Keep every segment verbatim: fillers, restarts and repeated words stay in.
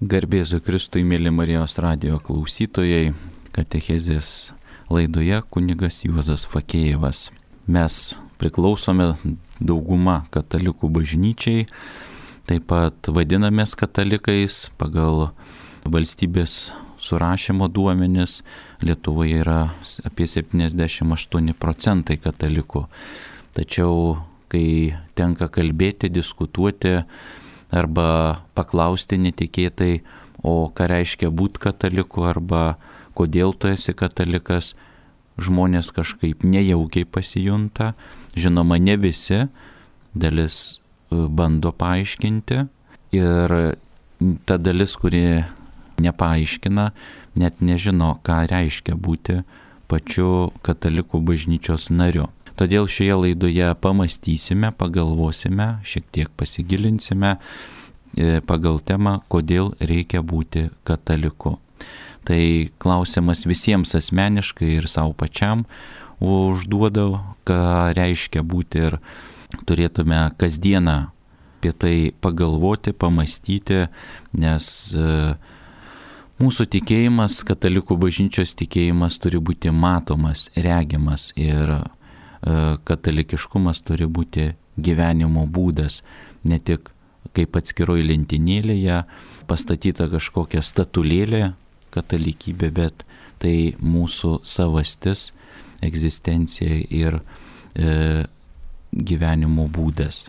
Garbėzu Kristui, mėly Marijos radijo klausytojai, katechezės laidoje kunigas Juozas Fakėjevas. Mes priklausome dauguma katalikų bažnyčiai, taip pat vadinamės katalikais pagal valstybės surašymo duomenis. Lietuvoje yra apie septyniasdešimt aštuoni procentai katalikų. Tačiau, kai tenka kalbėti, diskutuoti arba paklausti netikėtai, o ką reiškia būti kataliku arba kodėl tu esi katalikas, žmonės kažkaip nejaukiai pasijunta. Žinoma, ne visi, dalis bando paaiškinti ir ta dalis, kuri nepaaiškina, net nežino, ką reiškia būti pačiu katalikų bažnyčios nariu. Todėl šioje laidoje pamastysime, pagalvosime, šiek tiek pasigilinsime pagal temą, kodėl reikia būti kataliku. Tai klausimas visiems asmeniškai ir savo pačiam užduodau, ką reiškia būti, ir turėtume kasdieną apie tai pagalvoti, pamastyti, nes mūsų tikėjimas, katalikų bažnyčios tikėjimas turi būti matomas, regimas, ir katalikiškumas turi būti gyvenimo būdas, ne tik kaip atskiroj lentynėlėje pastatyta kažkokia statulėlė katalikybė, bet tai mūsų savastis, egzistencija ir e, gyvenimo būdas.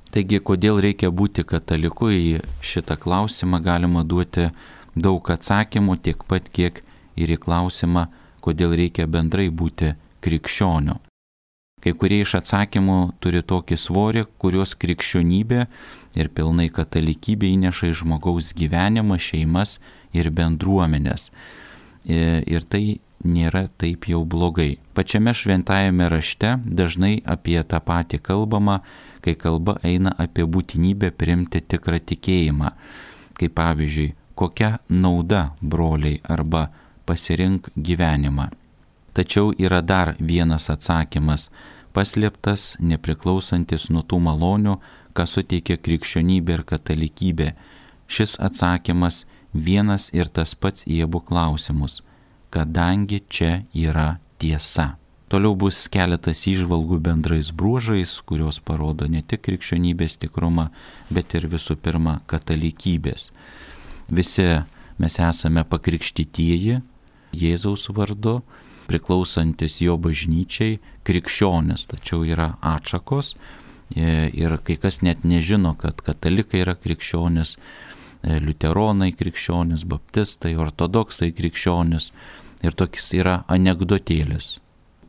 Taigi, kodėl reikia būti kataliku, į šitą klausimą galima duoti daug atsakymų, tiek pat kiek ir į klausimą, kodėl reikia bendrai būti krikščioniu. Kai kurie iš atsakymų turi tokį svorį, kurios krikščionybė ir pilnai katalikybė įneša į žmogaus gyvenimą, šeimas ir bendruomenės. Ir tai nėra taip jau blogai. Pačiame šventajame rašte dažnai apie tą patį kalbama, kai kalba eina apie būtinybę priimti tikrą tikėjimą. Kaip pavyzdžiui, kokia nauda, broliai, arba pasirink gyvenimą. Tačiau yra dar vienas atsakymas, paslėptas, nepriklausantis nuo tų malonių, ką suteikia krikščionybė ir katalikybė. Šis atsakymas vienas ir tas pats į abu klausimus, kadangi čia yra tiesa. Toliau bus keletas įžvalgų bendrais bruožais, kurios parodo ne tik krikščionybės tikrumą, bet ir visų pirma katalikybės. Visi mes esame pakrikštytieji Jėzaus vardu, priklausantis jo bažnyčiai, krikščionis, tačiau yra atšakos ir kai kas net nežino, kad katalikai yra krikščionis, liuteronai krikščionis, baptistai, ortodoksai krikščionis, ir tokis yra anekdotėlis.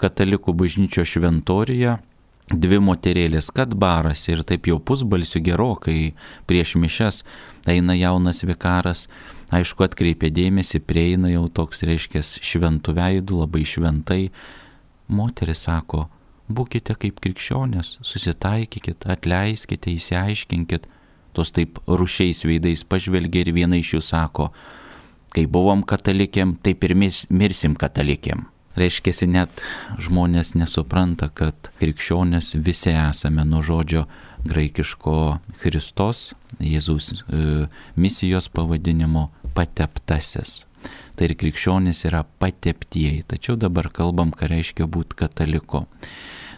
Katalikų bažnyčio šventoriuje dvi moterėlės, kad barasi, ir taip jau pusbalsiu gerokai prieš mišias eina jaunas vikaras, aišku, atkreipia dėmesį, prieina jau toks, reiškia, šventų veidų, labai šventai. Moteris sako, būkite kaip krikščionės, susitaikykit, atleiskite, įsiaiškinkit. Tos taip rušiais veidais pažvelgia ir viena iš jų sako, kai buvom katalikėm, taip ir mirsim katalikėm. Reiškiasi, net žmonės nesupranta, kad krikščionės visi esame nuo žodžio graikiško Christos, Jėzaus e, misijos pavadinimo pateptasis. Tai ir krikščionys yra pateptieji, tačiau dabar kalbam, ką reiškia būti kataliku.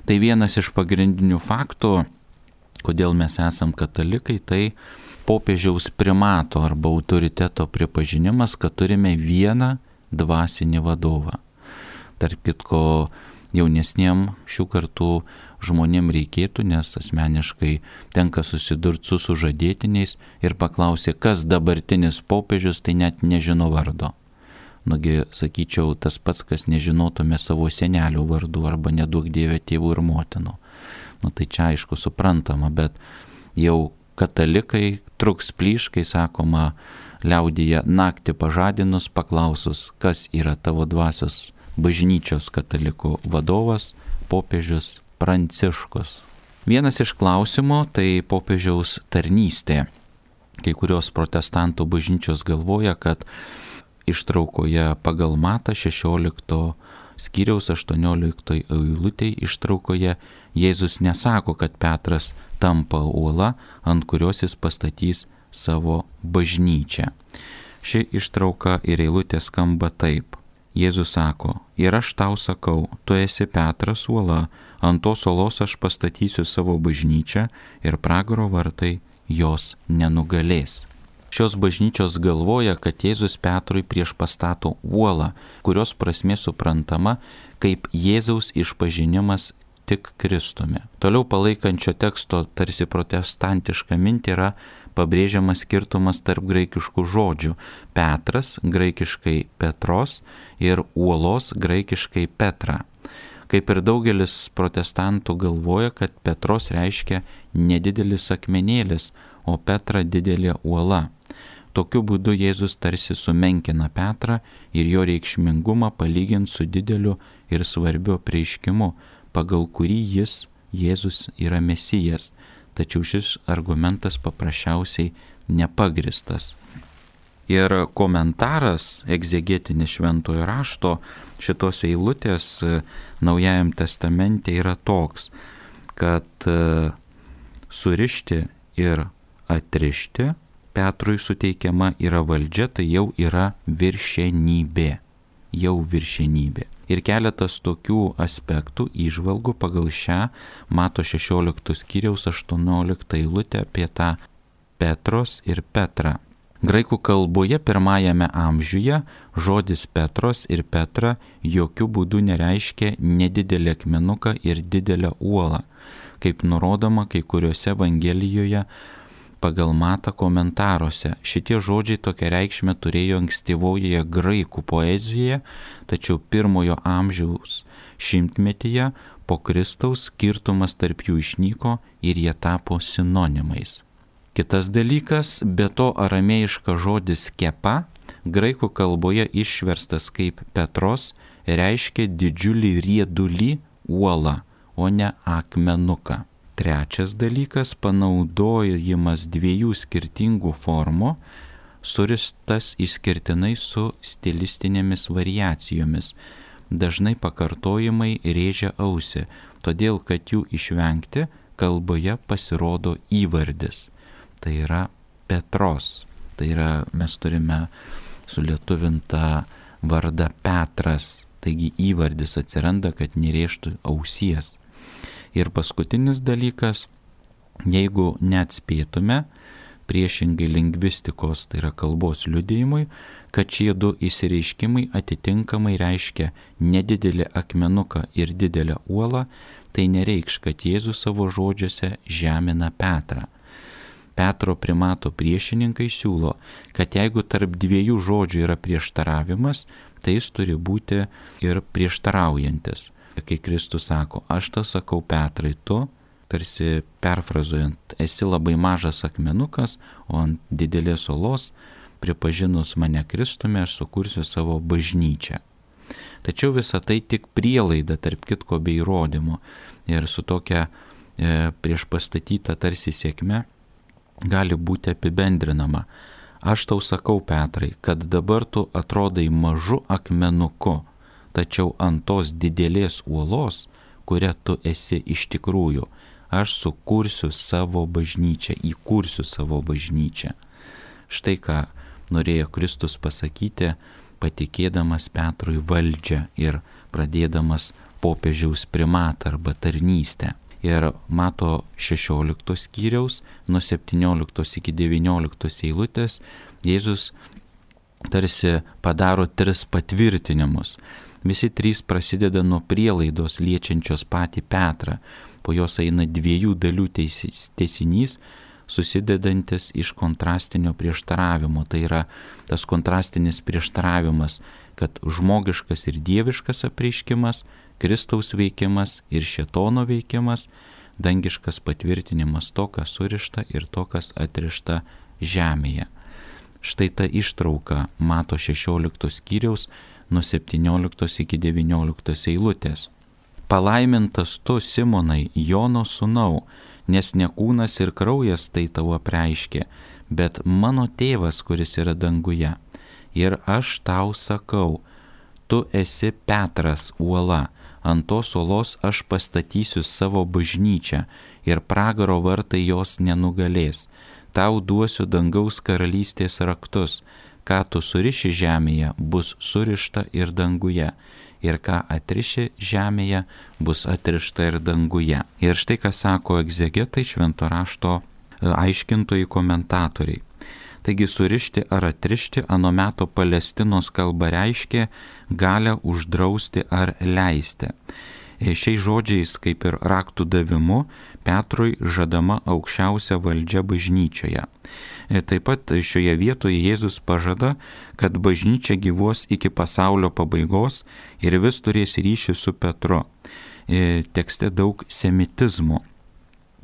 Tai vienas iš pagrindinių faktų, kodėl mes esam katalikai, tai popiežiaus primato arba autoriteto pripažinimas, kad turime vieną dvasinį vadovą. Tarp kitko, jaunesniem šių kartų žmonėm reikėtų, nes asmeniškai tenka susidurti su sužadėtiniais ir paklausė, kas dabartinis popiežius, tai net nežino vardo. Nugi, sakyčiau, tas pats, kas nežinotume savo senelių vardų arba neduok Dieve tėvų ir motinų. Nu tai čia aišku suprantama, bet jau katalikai truks plyš, kai sakoma liaudyje naktį pažadinus, paklausus, kas yra tavo dvasios bažnyčios katalikų vadovas, popiežius Pranciškus. Vienas iš klausimų tai popiežiaus tarnystė. Kai kurios protestantų bažnyčios galvoja, kad ištraukoje pagal Matą šešiolikto skyriaus aštuonioliktoj eilutėj ištraukoje Jėzus nesako, kad Petras tampa uola, ant kurios jis pastatys savo bažnyčią. Ši ištrauka ir eilutė skamba taip. Jėzus sako, ir aš tau sakau, tu esi Petras uola, ant tos uolos aš pastatysiu savo bažnyčią ir pragaro vartai jos nenugalės. Šios bažnyčios galvoja, kad Jėzus Petrui prieš pastato uolą, kurios prasmė suprantama kaip Jėzaus išpažinimas tik Kristumi. Toliau palaikančio teksto tarsi protestantiška mintį yra pabrėžiamas skirtumas tarp graikiškų žodžių Petras, graikiškai Petros, ir uolos, graikiškai Petra. Kaip ir daugelis protestantų galvoja, kad Petros reiškia nedidelis akmenėlis, o Petra didelė uola. Tokiu būdu Jėzus tarsi sumenkina Petrą ir jo reikšmingumą palygint su dideliu ir svarbiu apreiškimu, pagal kurį jis, Jėzus, yra Mesijas. Tačiau šis argumentas paprasčiausiai nepagristas. Ir komentaras egzegetinis šventojo rašto šitos eilutės Naujajam testamente yra toks, kad surišti ir atrišti Petrui suteikiama yra valdžia, tai jau yra viršenybė. Jau viršenybė. Ir keletas tokių aspektų įžvalgų pagal šią Mato šešioliktos skyriaus aštuonioliktą eilutę apie tą Petros ir Petrą. Graikų kalboje pirmajame amžiuje žodis Petros ir Petra jokių būdų nereiškia nedidelį akmenuką ir didelę uolą, kaip nurodoma kai kuriuose Evangelijoje pagal Matą komentaruose. Šitie žodžiai tokią reikšmę turėjo ankstyvojoje graikų poezijoje, tačiau pirmojo amžiaus šimtmetyje po Kristaus skirtumas tarp jų išnyko ir jie tapo sinonimais. Kitas dalykas, be to aramėjiškas žodis kepa, graikų kalboje išverstas kaip Petros, reiškia didžiulį riedulį uolą, o ne akmenuką. Trečias dalykas, panaudojimas dviejų skirtingų formų, suristas išskirtinai su stilistinėmis variacijomis. Dažnai pakartojimai rėžia ausį, todėl kad jų išvengti kalboje pasirodo įvardis. Tai yra Petros. Tai yra, mes turime sulietuvintą vardą Petras, taigi įvardis atsiranda, kad nerėžtų ausies. Ir paskutinis dalykas, jeigu neatspėtume, priešingai lingvistikos, tai yra kalbos liudijimui, kad šie du išsireiškimai atitinkamai reiškia nedidelį akmenuką ir didelę uolą, tai nereikš, kad Jėzus savo žodžiuose žemina Petrą. Petro primato priešininkai siūlo, kad jeigu tarp dviejų žodžių yra prieštaravimas, tai jis turi būti ir prieštaraujantis. Kai Kristus sako, aš tą sakau Petrai, tu, tarsi perfrazuojant, esi labai mažas akmenukas, o ant didelės uolos, pripažinus mane Kristumi, aš sukursiu savo bažnyčią. Tačiau visa tai tik prielaida, tarp kitko bei įrodymo. Ir su tokia e, priešpastatyta tarsi sėkme gali būti apibendrinama. Aš tau sakau, Petrai, kad dabar tu atrodai mažu akmenuku, tačiau ant tos didelės uolos, kuria tu esi iš tikrųjų, aš sukursiu savo bažnyčią, įkursiu savo bažnyčią. Štai ką norėjo Kristus pasakyti, patikėdamas Petrui valdžią ir pradėdamas popiežiaus primatą arba tarnystę. Ir Mato šešioliktos skyriaus nuo septynioliktos iki devynioliktos eilutės Jėzus tarsi padaro tris patvirtinimus. Visi trys prasideda nuo prielaidos liečiančios patį Petrą, po jos eina dviejų dalių tęsinys, susidedantis iš kontrastinio prieštaravimo. Tai yra tas kontrastinis prieštaravimas, kad žmogiškas ir dieviškas apreiškimas, Kristaus veikimas ir šėtono veikimas, dangiškas patvirtinimas to, kas surišta ir to, kas atrišta žemėje. Štai ta ištrauka Mato šešioliktos skyriaus nuo septynioliktos iki devynioliktos eilutės. Palaimintas tu, Simonai, Jono sūnau, nes ne kūnas ir kraujas tai tau apreiškė, bet mano tėvas, kuris yra danguje. Ir aš tau sakau, tu esi Petras uola, ant tos uolos aš pastatysiu savo bažnyčią ir pragaro vartai jos nenugalės. Tau duosiu dangaus karalystės raktus, ką tu suriši žemėje, bus surišta ir danguje. Ir ką atriši žemėje, bus atrišta ir danguje. Ir štai ką sako egzegetai, švento rašto aiškintojai, komentatoriai. Taigi surišti ar atrišti ano meto Palestinos kalba reiškia galią uždrausti ar leisti. Šiais žodžiais, kaip ir raktų davimu, Petrui žadama aukščiausia valdžia bažnyčioje. Taip pat šioje vietoje Jėzus pažada, kad bažnyčia gyvuos iki pasaulio pabaigos ir vis turės ryšį su Petru. Tekste daug semitizmų,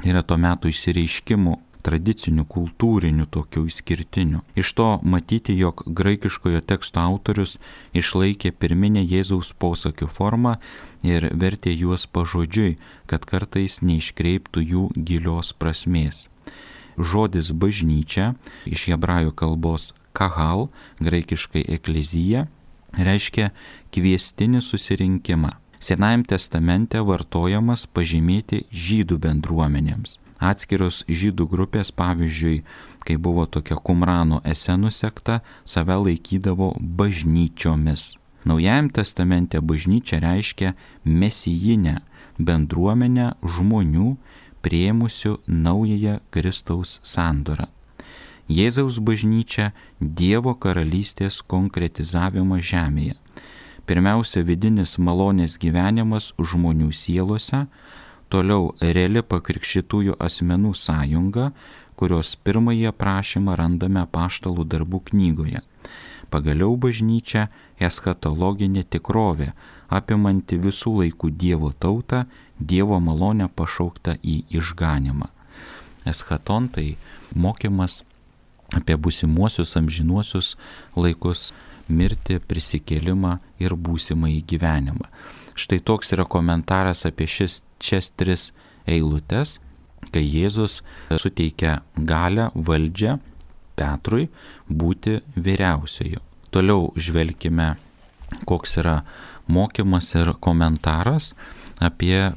yra to meto išsireiškimų, tradicinių, kultūrinių, tokių išskirtinių. Iš to matyti, jog graikiškojo teksto autorius išlaikė pirminę Jėzaus posakių formą ir vertė juos pažodžiui, kad kartais neiškreiptų jų gilios prasmės. Žodis bažnyčia, iš hebrajų kalbos kahal, graikiškai eklezija, reiškia kviestinį susirinkimą. Senajame testamente vartojamas pažymėti žydų bendruomenėms. Atskiros žydų grupės, pavyzdžiui, kai buvo tokia Kumrano esenų sekta, save laikydavo bažnyčiomis. Naujajame testamente bažnyčia reiškia mesijinę bendruomenę žmonių priėmusių naująją Kristaus sandorą. Jėzaus bažnyčia Dievo karalystės konkretizavimą žemėje. Pirmiausia, vidinis malonės gyvenimas žmonių sielose, toliau reali pakrikštytųjų asmenų sąjunga, kurios pirmąjį aprašymą randame Apaštalų darbų knygoje. Pagaliau bažnyčia eschatologinė tikrovė, apimanti visų laikų Dievo tautą, Dievo malonę pašauktą į išganimą. Eschaton tai mokymas apie būsimuosius amžinuosius laikus, mirtį, prisikėlimą ir būsimąjį gyvenimą. Štai toks yra komentaras apie šis, šias tris eilutes, kai Jėzus suteikia galią, valdžią Petrui būti vyriausioju. Toliau žvelkime, koks yra mokymas ir komentaras apie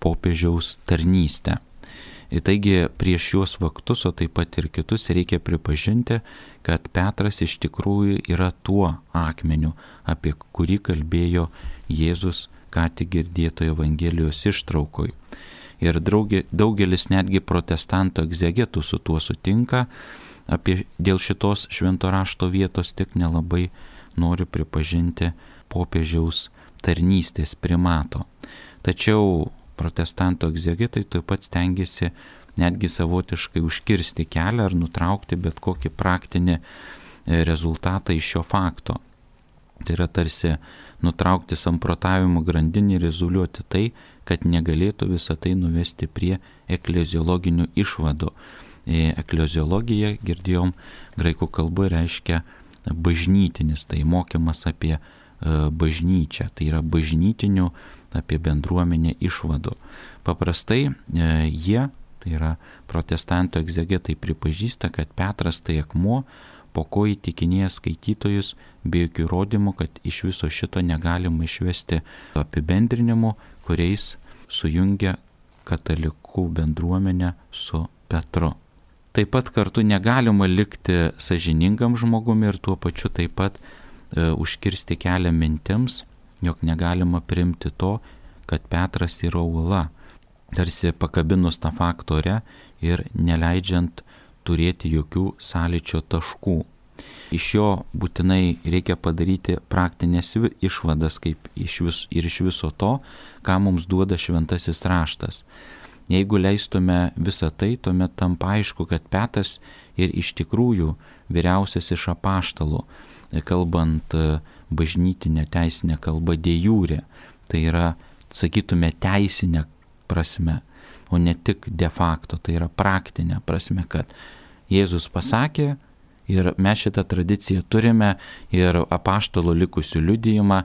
popiežiaus tarnystę. Taigi prieš šiuos faktus, o taip pat ir kitus, reikia pripažinti, kad Petras iš tikrųjų yra tuo akmeniu, apie kurį kalbėjo Jėzus ką tik girdėtoje Evangelijos ištraukoj. Ir daugelis netgi protestantų egzegetų su tuo sutinka, apie dėl šitos švento rašto vietos tik nelabai nori pripažinti popiežiaus tarnystės primato. Tačiau protestantų egzegetai taip pat stengiasi netgi savotiškai užkirsti kelią ar nutraukti bet kokį praktinį rezultatą iš šio fakto. Tai yra tarsi nutraukti samprotavimo grandinį ir izoliuoti tai, kad negalėtų visą tai nuvesti prie ekleziologinių išvadų. Ekleziologija, girdėjom, graikų kalba reiškia bažnytinis, tai mokymas apie bažnyčią, tai yra bažnytinių apie bendruomenę išvadų. Paprastai jie, tai yra protestantų egzegetai, pripažįsta, kad Petras tai akmuo, po ko įtikinėja skaitytojus be jokių įrodymų, kad iš viso šito negalima išvesti apibendrinimų, kuriais sujungia katalikų bendruomenę su Petru. Taip pat kartu negalima likti sąžiningam žmogumi ir tuo pačiu taip pat e, užkirsti kelią mintims, jog negalima priimti to, kad Petras yra uola, tarsi pakabinus tą faktorę ir neleidžiant turėti jokių sąlyčio taškų. Iš jo būtinai reikia padaryti praktinės išvadas kaip iš vis, ir iš viso to, ką mums duoda šventasis raštas. Jeigu leistume visą tai, tuomet tampa aišku, kad Petras ir iš tikrųjų vyriausias iš apaštalų, kalbant bažnytinę teisinę kalbą de jure, tai yra, sakytume, teisinė prasme, o ne tik de facto, tai yra praktinė prasme, kad Jėzus pasakė ir mes šitą tradiciją turime ir apaštalų likusių liudijimą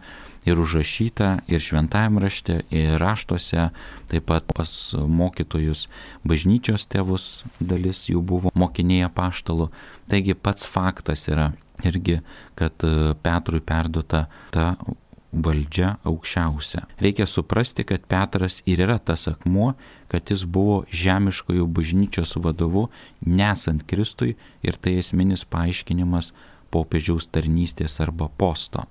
ir užrašyta ir šventajame rašte, ir raštuose, taip pat pas mokytojus bažnyčios tėvus dalis jų buvo mokiniai apaštalų. Taigi pats faktas yra irgi, kad Petrui perduota ta valdžia aukščiausia. Reikia suprasti, kad Petras ir yra tas akmuo, kad jis buvo žemiškojų bažnyčios vadovu nesant Kristui ir tai esminis paaiškinimas popiežiaus tarnystės arba posto.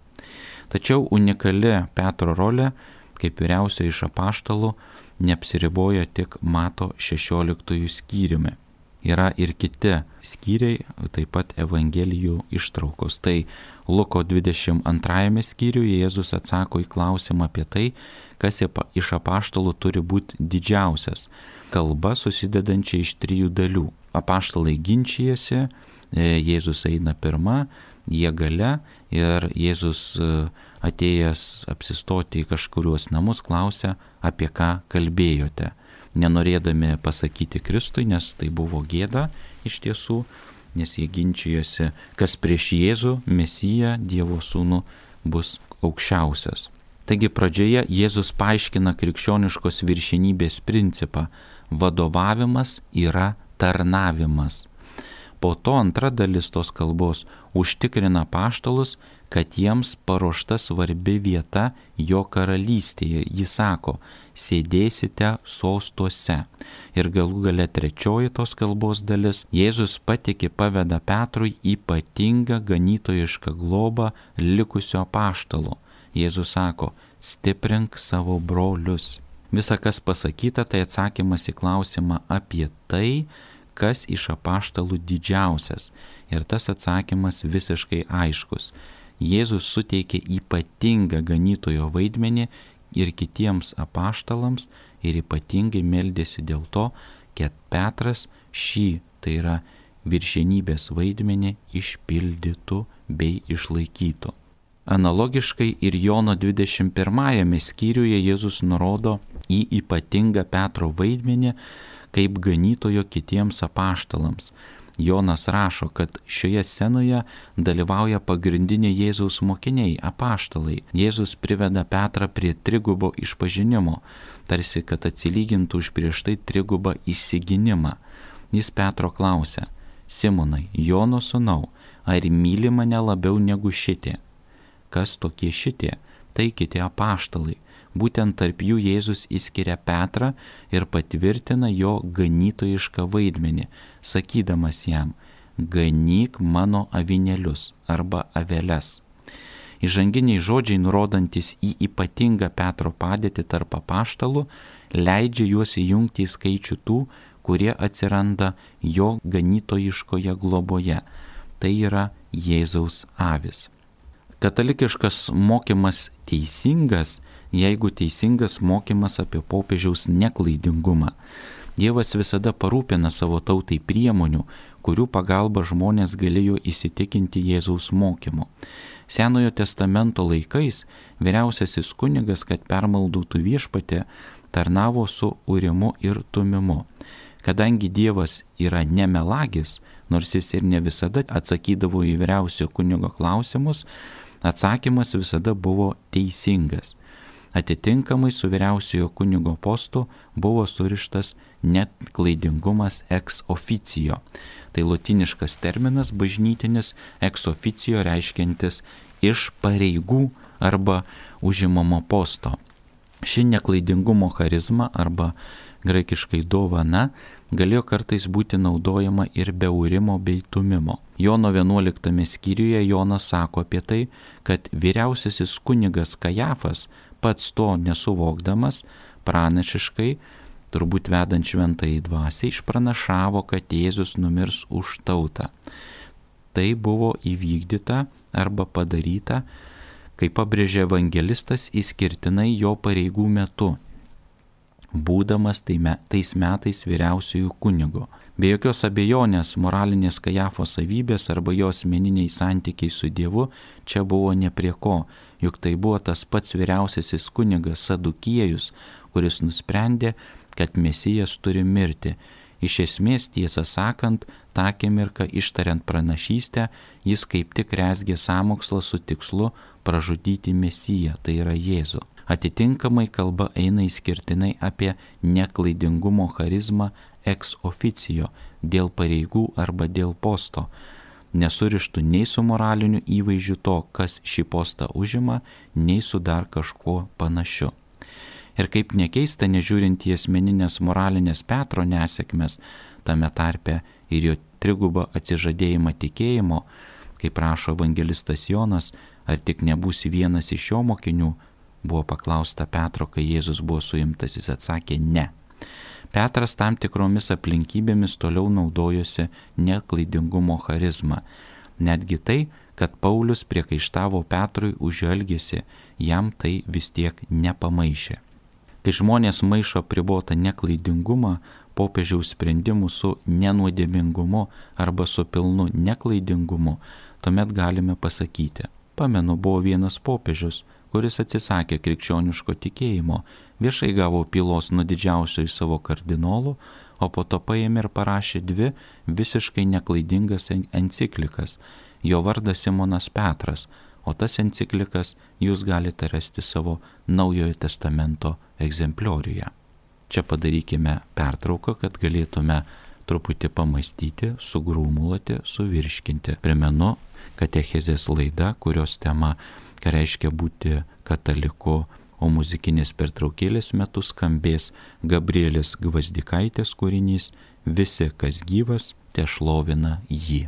Tačiau unikali Petro rolė, kaip vyriausiojo iš apaštalų, neapsiriboja tik Mato šešioliktųjų skyriumi. Yra ir kiti skyriai, taip pat Evangelijų ištraukos. Tai Luko dvidešimt antrajame skyriuje Jėzus atsako į klausimą apie tai, kas iš apaštalų turi būti didžiausias. Kalba susidedančia iš trijų dalių. Apaštalai ginčijasi, Jėzus eina pirma, jie gale ir Jėzus atėjęs apsistoti į kažkuriuos namus klausia, apie ką kalbėjote. Nenorėdami pasakyti Kristui, nes tai buvo gėda iš tiesų, nes jie ginčijosi, kas prieš Jėzų, Mesiją, Dievo sūnų, bus aukščiausias. Taigi pradžioje Jėzus paaiškina krikščioniškos viršenybės principą. Vadovavimas yra tarnavimas. Po to antra dalis tos kalbos užtikrina apaštalus, kad jiems paruošta svarbi vieta jo karalystėje. Jis sako, sėdėsite sostuose. Ir galų gale trečioji tos kalbos dalis, Jėzus patiki paveda Petrui ypatingą ganytojišką globą likusio apaštalo. Jėzus sako, stiprink savo brolius. Visa, kas pasakyta, tai atsakymas į klausimą apie tai, kas iš apaštalų didžiausias. Ir tas atsakymas visiškai aiškus. Jėzus suteikė ypatingą ganytojo vaidmenį ir kitiems apaštalams ir ypatingai meldėsi dėl to, kad Petras šį, tai yra viršenybės vaidmenį, išpildytų bei išlaikytų. Analogiškai ir Jono dvidešimt pirmajame skyriuje Jėzus nurodo į ypatingą Petro vaidmenį kaip ganytojo kitiems apaštalams. Jonas rašo, kad šioje scenoje dalyvauja pagrindiniai Jėzaus mokiniai, apaštalai. Jėzus priveda Petrą prie trigubo išpažinimo, tarsi kad atsilygintų už prieš tai trigubą išsigynimą. Jis Petro klausia, Simonai, Jono sūnau, ar myli mane labiau negu šitie? Kas tokie šitie? Tai kiti apaštalai. Būtent tarp jų Jėzus įskiria Petrą ir patvirtina jo ganytojišką vaidmenį, sakydamas jam, ganyk mano avinėlius arba aveles. Įžanginiai žodžiai, nurodantis į ypatingą Petro padėtį tarp apaštalų, leidžia juos įjungti į skaičių tų, kurie atsiranda jo ganytojiškoje globoje. Tai yra Jėzaus avis. Katalikiškas mokymas teisingas, jeigu teisingas mokymas apie popiežiaus neklaidingumą. Dievas visada parūpina savo tautai priemonių, kurių pagalba žmonės galėjo įsitikinti Jėzaus mokymu. Senojo testamento laikais vyriausiasis kunigas, kad permaldautų viešpatį, tarnavo su Urimu ir Tumimu. Kadangi Dievas yra nemelagis, nors jis ir ne visada atsakydavo į vyriausiojo kunigo klausimus, atsakymas visada buvo teisingas. Atitinkamai su vyriausiojo kunigo postu buvo surištas net klaidingumas ex officio. Tai lotyniškas terminas bažnytinis ex officio reiškiantis iš pareigų arba užimamo posto. Ši neklaidingumo charizma arba graikiškai dovana galėjo kartais būti naudojama ir be Urimo bei Tumimo. Jono vienuoliktame skyriuje Jonas sako apie tai, kad vyriausiasis kunigas Kajafas, pats to nesuvokdamas, pranašiškai, turbūt vedant šventąjį dvasią, išpranašavo, kad Jėzus numirs už tautą. Tai buvo įvykdyta arba padaryta, kaip pabrėžė evangelistas, išskirtinai jo pareigų metu, būdamas tais metais vyriausiųjų kunigo. Be jokios abejonės moralinės Kajafo savybės arba jo asmeniniai santykiai su Dievu čia buvo ne prie ko, juk tai buvo tas pats vyriausiasis kunigas Sadukiejus, kuris nusprendė, kad Mesijas turi mirti. Iš esmės, tiesą sakant, tą akimirką ištariant pranašystę, jis kaip tik rezgė sąmokslą su tikslu pražudyti Mesiją, tai yra Jėzų. Atitinkamai kalba eina išskirtinai apie neklaidingumo charizmą ex officio, dėl pareigų arba dėl posto, nesurištų nei su moraliniu įvaizdžiu to, kas šį postą užima, nei su dar kažkuo panašiu. Ir kaip nekeista, nežiūrint į asmeninės moralinės Petro nesėkmes, tame tarpe ir jo trigubą atsižadėjimą tikėjimo, Kaip rašo evangelistas Jonas, ar tik nebūsi vienas iš jo mokinių, buvo paklausta Petro, kai Jėzus buvo suimtas, jis atsakė ne. Petras tam tikromis aplinkybėmis toliau naudojosi neklaidingumo charizmą. Netgi tai, kad Paulius priekaištavo Petrui už jo elgesį, jam tai vis tiek nepamaišė. Kai žmonės maišo apribotą neklaidingumą, popiežiaus sprendimų su nenuodėmingumu arba su pilnu neklaidingumu, tuomet galime pasakyti, pamenu, buvo vienas popiežius, kuris atsisakė krikščioniško tikėjimo, viešai gavo pylos nuo didžiausio iš savo kardinolų, o po to paėmė ir parašė dvi visiškai neklaidingas enciklikas. Jo vardas Simonas Petras, o tas enciklikas jūs galite rasti savo Naujojo testamento egzemplioriuje. Čia padarykime pertrauką, kad galėtume truputį pamastyti, sugrūmuluoti, suvirškinti. Primenu, katechezės laida, kurios tema, ką reiškia būti kataliku, o muzikinės pertraukėlės metu skambės Gabrielės Gvazdikaitės kūrinys Visi, kas gyvas, tešlovina jį.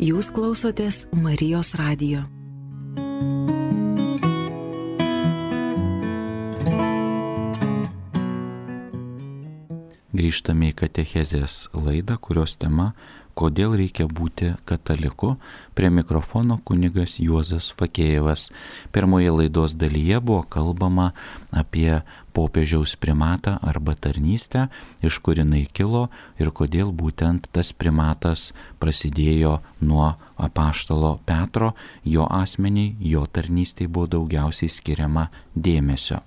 Jūs klausotės Marijos radijo. Grįžtame į katechezės laidą, kurios tema kodėl reikia būti kataliku. Prie mikrofono kunigas Juozas Fakėjevas. Pirmoje laidos dalyje buvo kalbama apie popiežiaus primatą arba tarnystę, iš kur jinai kilo ir kodėl būtent tas primatas prasidėjo nuo apaštalo Petro, jo asmeniai, jo tarnystei buvo daugiausiai skiriama dėmesio.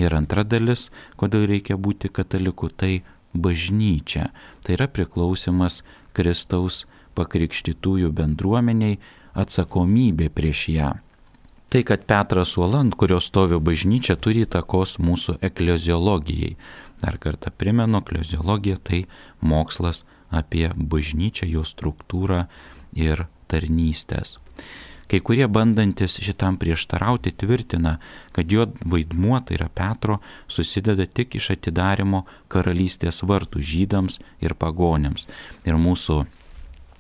Ir antra dalis, kodėl reikia būti kataliku, tai bažnyčia. Tai yra priklausimas Kristaus pakrikštytųjų bendruomeniai, atsakomybė prieš ją. Tai, kad Petras uola, ant kurios stovi bažnyčia, turi įtakos mūsų ekleziologijai. Dar kartą primenu, ekleziologija tai mokslas apie bažnyčią, jos struktūrą ir tarnystės. Kai kurie bandantis šitam prieštarauti tvirtina, kad jo vaidmuo, tai yra Petro, susideda tik iš atidarimo karalystės vartų žydams ir pagonims. Ir mūsų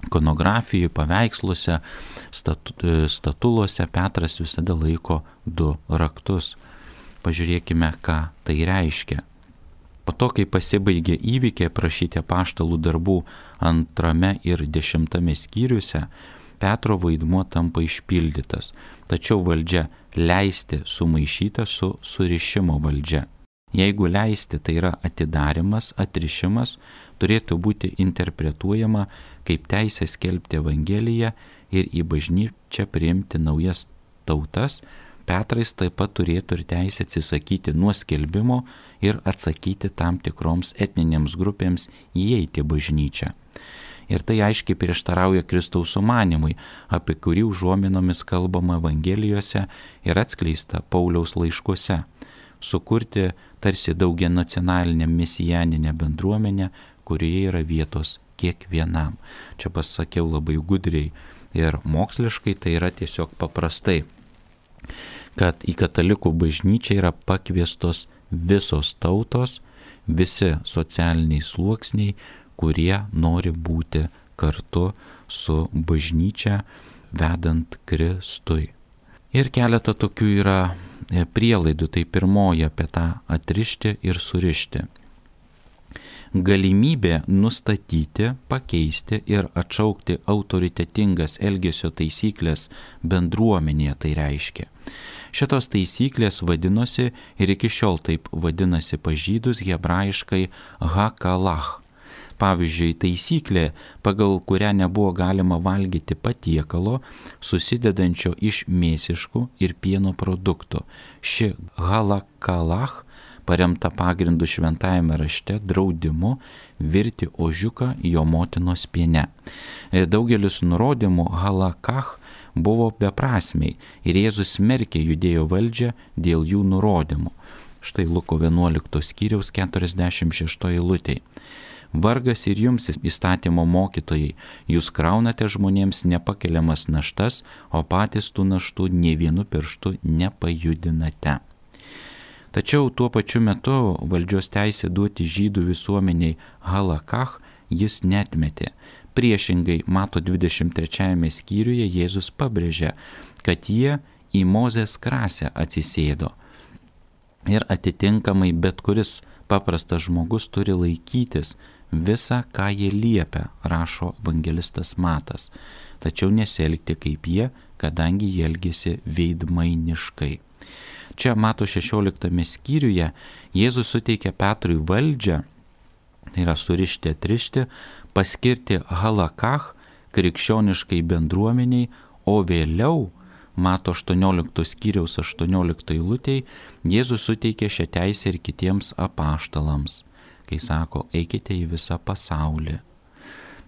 ikonografijų, paveiksluose, statuluose Petras visada laiko du raktus. Pažiūrėkime, ką tai reiškia. Po to, kai pasibaigė įvykiai aprašyti apaštalų darbų antrame ir dešimtame skyriuose, Petro vaidmuo tampa išpildytas, tačiau valdžia leisti sumaišyta su surišimo valdžia. Jeigu leisti, tai yra atidarimas, atrišimas, turėtų būti interpretuojama kaip teisė skelbti Evangeliją ir į bažnyčią priimti naujas tautas, Petras taip pat turėtų ir teisę atsisakyti nuo skelbimo ir atsakyti tam tikroms etninėms grupėms įeiti į bažnyčią. Ir tai aiškiai prieštarauja Kristaus sumanimui, apie kurį užuominomis kalbama Evangelijose ir atskleista Pauliaus laiškuose – sukurti tarsi daugianacionalinę mesijaninę bendruomenę, kurioje yra vietos kiekvienam. Čia pasakiau labai gudriai ir moksliškai, tai yra tiesiog paprastai, kad į katalikų bažnyčią yra pakviestos visos tautos, visi socialiniai sluoksniai, kurie nori būti kartu su bažnyčia vedant Kristui. Ir keletą tokių yra prielaidų, tai pirmoji apie tą atrišti ir surišti. Galimybė nustatyti, pakeisti ir atšaukti autoritetingas elgesio taisyklės bendruomenėje, tai reiškia. Šitos taisyklės vadinosi ir iki šiol taip vadinasi pas žydus hebrajiškai hakalach. Pavyzdžiui, taisyklė, pagal kurią nebuvo galima valgyti patiekalo, susidedančio iš mėsiškų ir pieno produktų. Ši halakalach, paremta pagrindu šventajame rašte, draudimu virti ožiuką jo motinos piene. Daugelis nurodymų halakach buvo beprasmiai ir Jėzus smerkė judėjo valdžią dėl jų nurodymų. Štai Luko vienuoliktos skyriaus keturiasdešimt šeštoji eilutė. Vargas ir jums, įstatymo mokytojai, jūs kraunate žmonėms nepakeliamas naštas, o patys tų naštų nė vienu pirštu nepajudinate. Tačiau tuo pačiu metu valdžios teisė duoti žydų visuomeniai halakach jis netmetė. Priešingai, Mato dvidešimt trečiajame skyriuje Jėzus pabrėžia, kad jie į Mozės krasę atsisėdo. Ir atitinkamai bet kuris paprastas žmogus turi laikytis visą, ką jie liepia, rašo evangelistas Matas, tačiau nesielgti kaip jie, kadangi jie elgėsi veidmainiškai. Čia Mato šešioliktame skyriuje Jėzus suteikia Petrui valdžią, tai yra surišti, atrišti, paskirti halakach krikščioniškai bendruomeniai, o vėliau Mato aštuonioliktos skyriaus aštuonioliktoje eilutėje Jėzus suteikė šią teisę ir kitiems apaštalams, kai sako, eikite į visą pasaulį.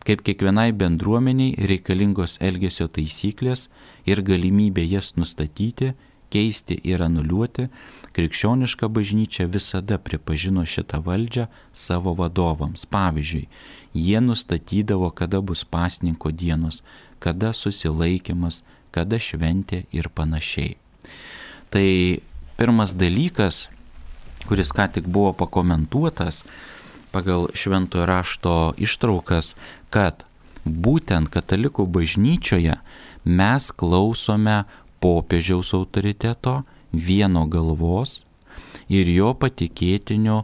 Kaip kiekvienai bendruomeniai reikalingos elgesio taisyklės ir galimybė jas nustatyti, keisti ir anuliuoti, krikščioniška bažnyčia visada pripažino šitą valdžią savo vadovams. Pavyzdžiui, jie nustatydavo, kada bus pasninko dienos, kada susilaikymas, kada šventė ir panašiai. Tai pirmas dalykas, kuris ką tik buvo pakomentuotas pagal šventojo rašto ištraukas, kad būtent katalikų bažnyčioje mes klausome popiežiaus autoriteto, vieno galvos ir jo patikėtinių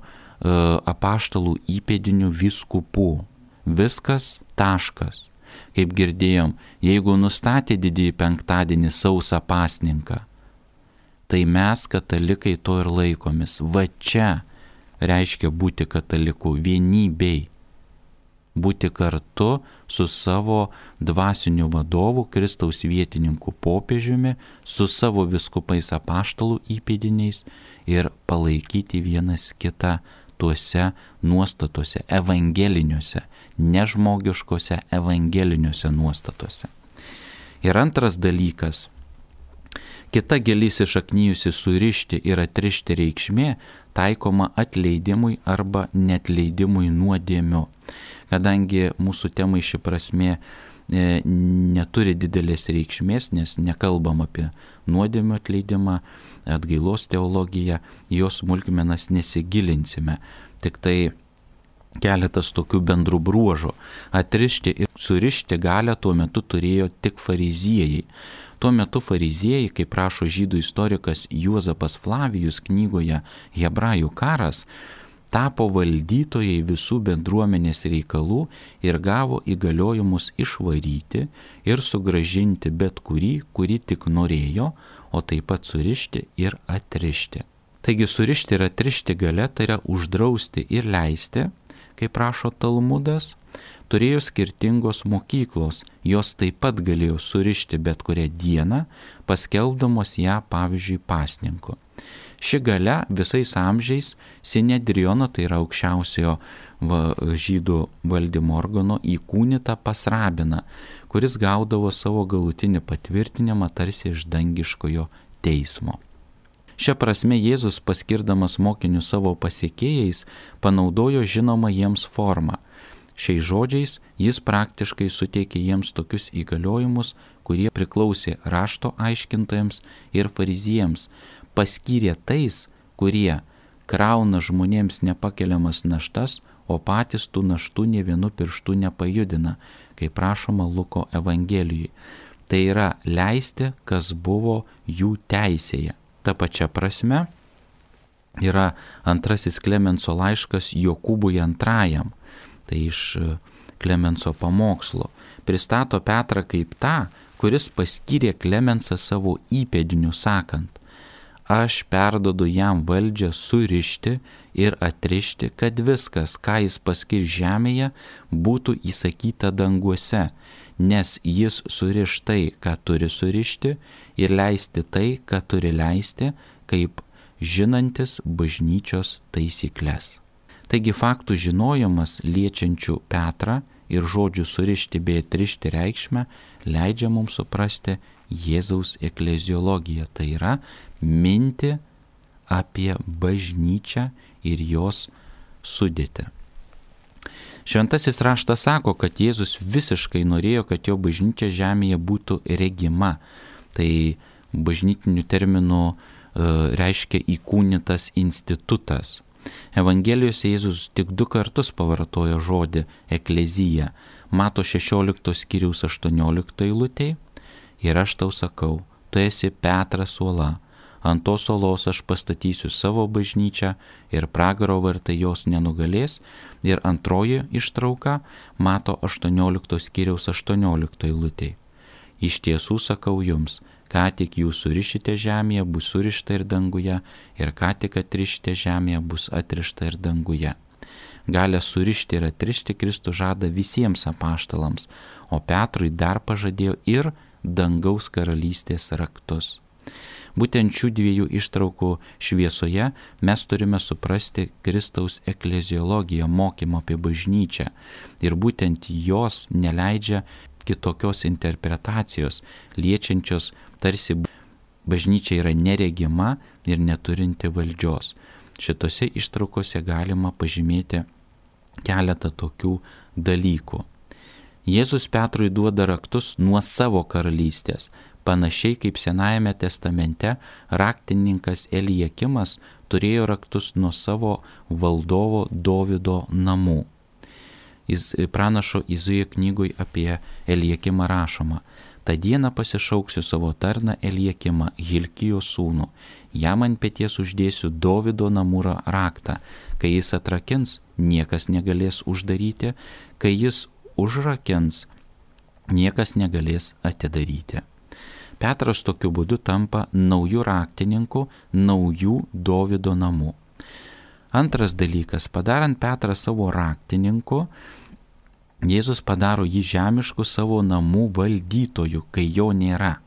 apaštalų įpėdinių vyskupų. Viskas, taškas. kaip girdėjom, jeigu nustatė didįjį penktadienį sausą pasninką, tai mes, katalikai, to ir laikomis. Va čia reiškia būti kataliku vienybei. Būti kartu su savo dvasiniu vadovu, Kristaus vietininku popiežiumi, su savo viskupais apaštalų įpėdiniais ir palaikyti vienas kitą tuose nuostatuose, evangeliniuose, nežmogiškose evangeliniuose nuostatuose. Ir antras dalykas, kita giliai įsišaknijusi surišti ir atrišti reikšmė taikoma atleidimui arba netleidimui nuodėmių. Kadangi mūsų temai ši prasmė e, neturi didelės reikšmės, nes nekalbam apie nuodėmių atleidimą, atgailos teologiją, jos smulkmenas nesigilinsime. Tik tai keletas tokių bendrų bruožų. Atrišti ir surišti galią tuo metu turėjo tik fariziejai. Tuo metu fariziejai, kaip rašo žydų istorikas Juozapas Flavijus knygoje Hebrajų karas, tapo valdytojai visų bendruomenės reikalų ir gavo įgaliojimus išvaryti ir sugrąžinti bet kurį, kurį tik norėjo, o taip pat surišti ir atrišti. Taigi surišti ir atrišti galia, tai yra uždrausti ir leisti, kaip rašo Talmudas, turėjo skirtingos mokyklos, jos taip pat galėjo surišti bet kurią dieną, paskelbdamos ją, pavyzdžiui, pasninku. Ši galia visais amžiais Sinedriono, tai yra aukščiausiojo va, žydų valdymo organo, įkūnyta pas rabiną, kuris gaudavo savo galutinį patvirtinimą tarsi iš dangiškojo teismo. Šia prasme Jėzus, paskirdamas mokinius savo pasiekėjais, panaudojo žinomą jiems formą. Šiais žodžiais jis praktiškai suteikė jiems tokius įgaliojimus, kurie priklausė rašto aiškintojams ir fariziejams, paskyrė tais, kurie krauna žmonėms nepakeliamas naštas, o patys tų naštų nė vienu pirštu nepajudina, kaip prašoma Luko Evangelijoje. Tai yra leisti, kas buvo jų teisėje. Ta pačia prasme yra antrasis Klemenso laiškas Jokūbui antrajam, tai iš Klemenso pamokslo. Pristato Petrą kaip tą, kuris paskyrė Klemensą savo įpėdiniu sakant: aš perdodu jam valdžią surišti ir atrišti, kad viskas, ką jis paskir žemėje, būtų įsakyta danguose, nes jis suriš tai, ką turi surišti, ir leisti tai, ką turi leisti, kaip žinantis bažnyčios taisyklės. Taigi faktų žinojimas liečiančių Petrą ir žodžių surišti bei atrišti reikšmę leidžia mums suprasti Jėzaus ekleziologiją, tai yra minti apie bažnyčią ir jos sudėtį. Šventasis raštas sako, kad Jėzus visiškai norėjo, kad jo bažnyčia žemėje būtų regima. Tai bažnytiniu terminu e, reiškia įkūnytas institutas. Evangelijose Jėzus tik du kartus pavartojo žodį eklezija. Mato šešioliktos skyriaus aštuonioliktoje eilutėje: ir aš tau sakau, tu esi Petras uola, ant tos uolos aš pastatysiu savo bažnyčią ir pragaro vartai jos nenugalės. Ir antroji ištrauka Mato aštuonioliktos skyriaus aštuonioliktoje eilutėje: iš tiesų sakau jums, ką tik jūs surišite žemėje, bus surišta ir danguje, ir ką tik atrišite žemėje, bus atrišta ir danguje. Galę surišti ir atrišti Kristus žada visiems apaštalams, o Petrui dar pažadėjo ir dangaus karalystės raktus. Būtent šių dviejų ištraukų šviesoje mes turime suprasti Kristaus ekleziologiją, mokymą apie bažnyčią, ir būtent jos neleidžia kitokios interpretacijos, liečiančios tarsi bažnyčia yra neregima ir neturinti valdžios. Šitose ištraukose galima pažymėti keletą tokių dalykų. Jėzus Petrui duoda raktus nuo savo karalystės, panašiai kaip Senajame testamente raktininkas Eliakimas turėjo raktus nuo savo valdovo Dovydo namų. Jis pranašo Izaijo knygoje apie Eliakimą rašoma: tą dieną pasišauksiu savo tarną Eliakimą, Hilkijo sūnų, jam ant peties uždėsiu Dovydo namų raktą, kai jis atrakins, niekas negalės uždaryti, kai jis užrakins, niekas negalės atidaryti. Petras tokiu būdu tampa naujų raktininku, naujų Dovydo namų. Antras dalykas, padarant Petrą savo raktininku, Jėzus padaro jį žemišku savo namų valdytoju, kai jo nėra.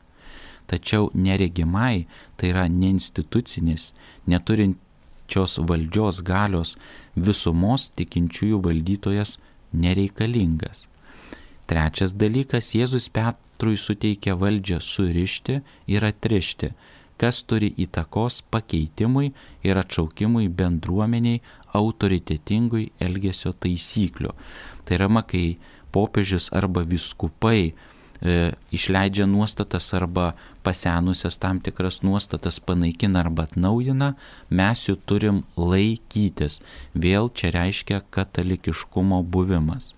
Tačiau neregimai, tai yra neinstitucinis, neturinčios valdžios galios visumos tikinčiųjų valdytojas nereikalingas. Trečias dalykas, Jėzus Petrui suteikia valdžią surišti ir atrišti, kas turi įtakos pakeitimui ir atšaukimui bendruomeniai autoritetingui elgesio taisyklių. Tai yra, kai popiežius arba vyskupai e, išleidžia nuostatas arba pasenusias tam tikras nuostatas panaikina arba atnaujina, mes jų turim laikytis. Vėl čia reiškia katalikiškumo buvimas.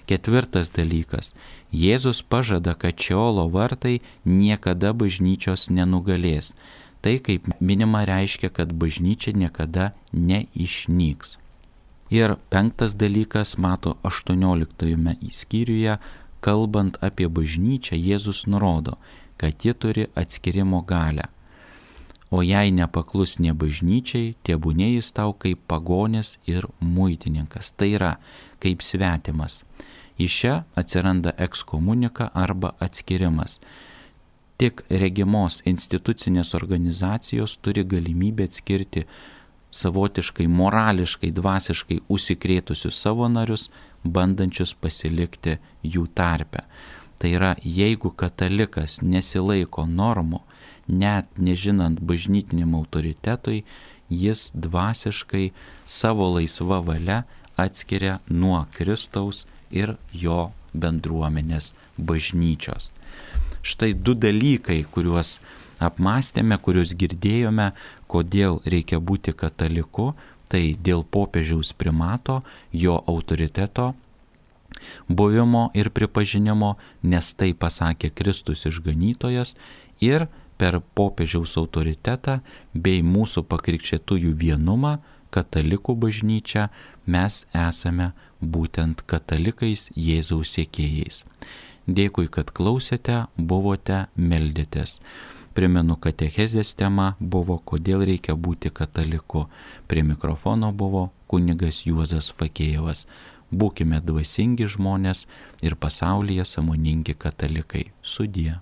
Ketvirtas dalykas. Jėzus pažada, kad Šeolo vartai niekada bažnyčios nenugalės. Tai, kaip minima, reiškia, kad bažnyčia niekada neišnyks. Ir penktas dalykas, mato aštuonioliktajame skyriuje, kalbant apie bažnyčią, Jėzus nurodo, kad ji turi atskirimo galią. O jei nepaklus ne bažnyčiai, tebūnė jis tau kaip pagonis ir muitininkas, tai yra kaip svetimas. Iš čia atsiranda ekskomunika arba atskirimas. Tik regimos institucinės organizacijos turi galimybę atskirti savotiškai, morališkai, dvasiškai užsikrėtusius savo narius, bandančius pasilikti jų tarpe. Tai yra, jeigu katalikas nesilaiko normų, net nežinant bažnytiniam autoritetui, jis dvasiškai savo laisva valia atskiria nuo Kristaus ir jo bendruomenės bažnyčios. Štai du dalykai, kuriuos apmastėme, kuriuos girdėjome, kodėl reikia būti kataliku, tai dėl popiežiaus primato, jo autoriteto buvimo ir pripažinimo, nes tai pasakė Kristus išganytojas, ir per popiežiaus autoritetą bei mūsų pakrikščėtųjų vienumą, katalikų bažnyčią, mes esame būtent katalikais, Jėzaus sekėjais. Dėkui, kad klausėte, buvote, meldėtės. Primenu, katechezės tema buvo, kodėl reikia būti kataliku. Prie mikrofono buvo kunigas Juozas Fakėjevas. Būkime dvasingi žmonės ir pasaulyje sąmoningi katalikai. Sudie.